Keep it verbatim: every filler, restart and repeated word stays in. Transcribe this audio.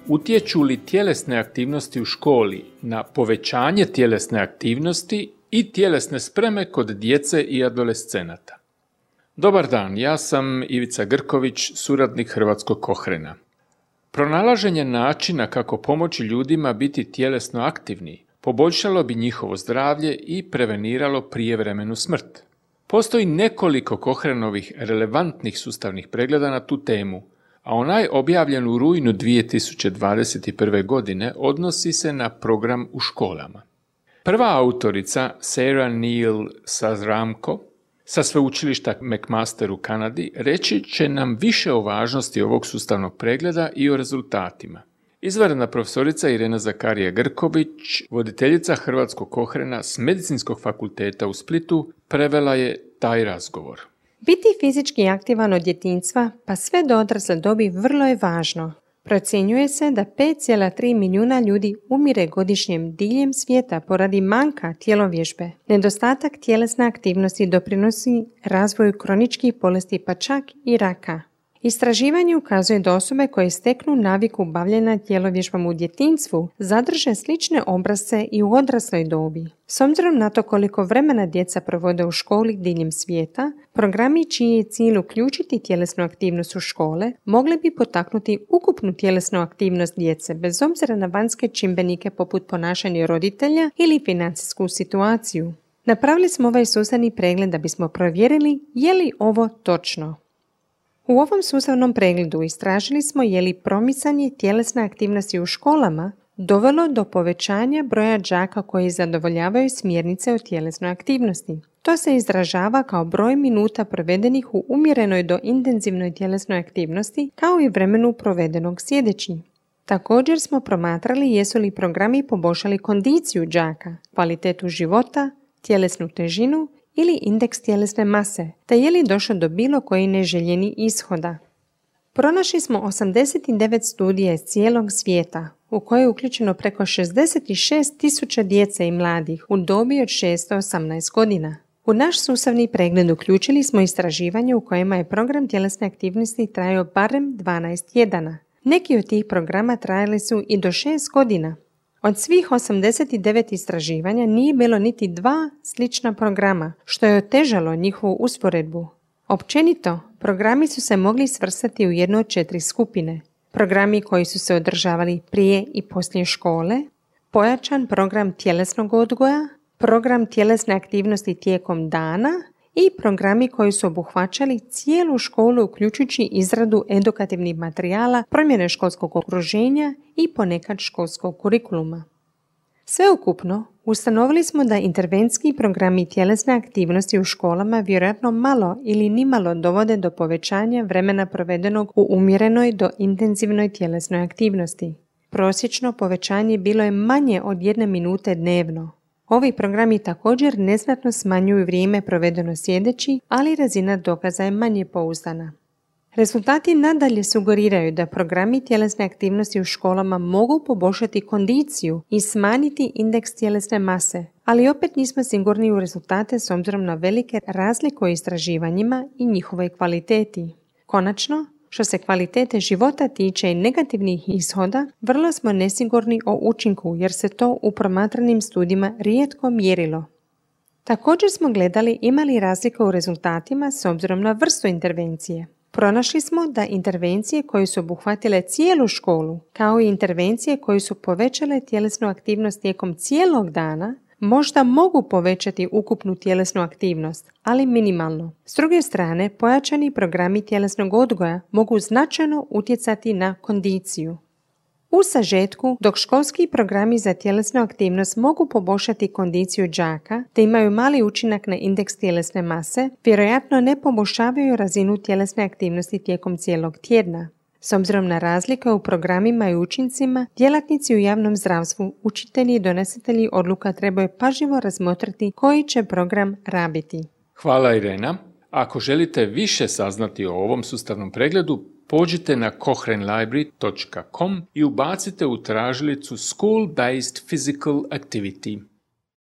Utječu li tjelesne aktivnosti u školi na povećanje tjelesne aktivnosti i tjelesne spreme kod djece i adolescenata? Dobar dan, ja sam Ivica Grković, suradnik Hrvatskog Kohrena. Pronalaženje načina kako pomoći ljudima biti tjelesno aktivni poboljšalo bi njihovo zdravlje i preveniralo prijevremenu smrt. Postoji nekoliko Kohrenovih relevantnih sustavnih pregleda na tu temu, a onaj objavljen u rujnu dvije tisuće dvadeset prve. godine odnosi se na program u školama. Prva autorica, Sarah Neil Sazramko, sa sveučilišta McMaster u Kanadi, reći će nam više o važnosti ovog sustavnog pregleda i o rezultatima. Izvanredna profesorica Irena Zakarija Grković, voditeljica Hrvatskog Kohrena s Medicinskog fakulteta u Splitu, prevela je taj razgovor. Biti fizički aktivan od djetinjstva pa sve do odrasle dobi vrlo je važno. Procjenjuje se da pet zarez tri milijuna ljudi umire godišnje diljem svijeta poradi manjka tjelovježbe. Nedostatak tjelesne aktivnosti doprinosi razvoju kroničkih bolesti pa čak i raka. Istraživanje ukazuje da osobe koje steknu naviku bavljenja tjelovježbom u djetinjstvu zadrže slične obrasce i u odrasloj dobi. S obzirom na to koliko vremena djeca provode u školi diljem svijeta, programi čiji je cilj uključiti tjelesnu aktivnost u škole mogli bi potaknuti ukupnu tjelesnu aktivnost djece bez obzira na vanjske čimbenike poput ponašanja roditelja ili financijsku situaciju. Napravili smo ovaj sustavni pregled da bismo provjerili je li ovo točno. U ovom sustavnom pregledu istražili smo je li promicanje tjelesne aktivnosti u školama dovelo do povećanja broja đaka koji zadovoljavaju smjernice o tjelesnoj aktivnosti. To se izražava kao broj minuta provedenih u umjerenoj do intenzivnoj tjelesnoj aktivnosti kao i vremenu provedenog sjedeći. Također smo promatrali jesu li programi poboljšali kondiciju đaka, kvalitetu života, tjelesnu težinu ili indeks tjelesne mase, te je li došlo do bilo koji neželjeni ishoda. Pronašli smo osamdeset devet studija iz cijelog svijeta, u koje je uključeno preko šezdeset šest tisuća djece i mladih u dobi od šest do osamnaest godina. U naš sustavni pregled uključili smo istraživanje u kojima je program tjelesne aktivnosti trajao barem dvanaest tjedana. Neki od tih programa trajali su i do šest godina. Od svih osamdeset devet istraživanja nije bilo niti dva slična programa, što je otežalo njihovu usporedbu. Općenito, programi su se mogli svrstati u jednu od četiri skupine. Programi koji su se održavali prije i poslije škole, pojačan program tjelesnog odgoja, program tjelesne aktivnosti tijekom dana i programi koji su obuhvaćali cijelu školu uključujući izradu edukativnih materijala, promjene školskog okruženja i ponekad školskog kurikuluma. Sveukupno, ustanovili smo da intervencijski programi tjelesne aktivnosti u školama vjerojatno malo ili nimalo dovode do povećanja vremena provedenog u umjerenoj do intenzivnoj tjelesnoj aktivnosti. Prosječno povećanje bilo je manje od jedne minute dnevno. Ovi programi također neznatno smanjuju vrijeme provedeno sjedeći, ali razina dokaza je manje pouzdana. Rezultati nadalje sugeriraju da programi tjelesne aktivnosti u školama mogu poboljšati kondiciju i smanjiti indeks tjelesne mase, ali opet nismo sigurni u rezultate s obzirom na velike razlike u istraživanjima i njihovoj kvaliteti. Konačno, što se kvalitete života tiče i negativnih ishoda, vrlo smo nesigurni o učinku jer se to u promatranim studijima rijetko mjerilo. Također smo gledali ima li razlika u rezultatima s obzirom na vrstu intervencije. Pronašli smo da intervencije koje su obuhvatile cijelu školu, kao i intervencije koje su povećale tjelesnu aktivnost tijekom cijelog dana, možda mogu povećati ukupnu tjelesnu aktivnost, ali minimalno. S druge strane, pojačani programi tjelesnog odgoja mogu značajno utjecati na kondiciju. U sažetku, dok školski programi za tjelesnu aktivnost mogu poboljšati kondiciju đaka te imaju mali učinak na indeks tjelesne mase, vjerojatno ne poboljšavaju razinu tjelesne aktivnosti tijekom cijelog tjedna. S obzirom na razlike u programima i učincima, djelatnici u javnom zdravstvu, učitelji i donositelji odluka trebaju pažljivo razmotriti koji će program rabiti. Hvala Irena. Ako želite više saznati o ovom sustavnom pregledu, pođite na kohren library dot com i ubacite u tražilicu School-Based Physical Activity.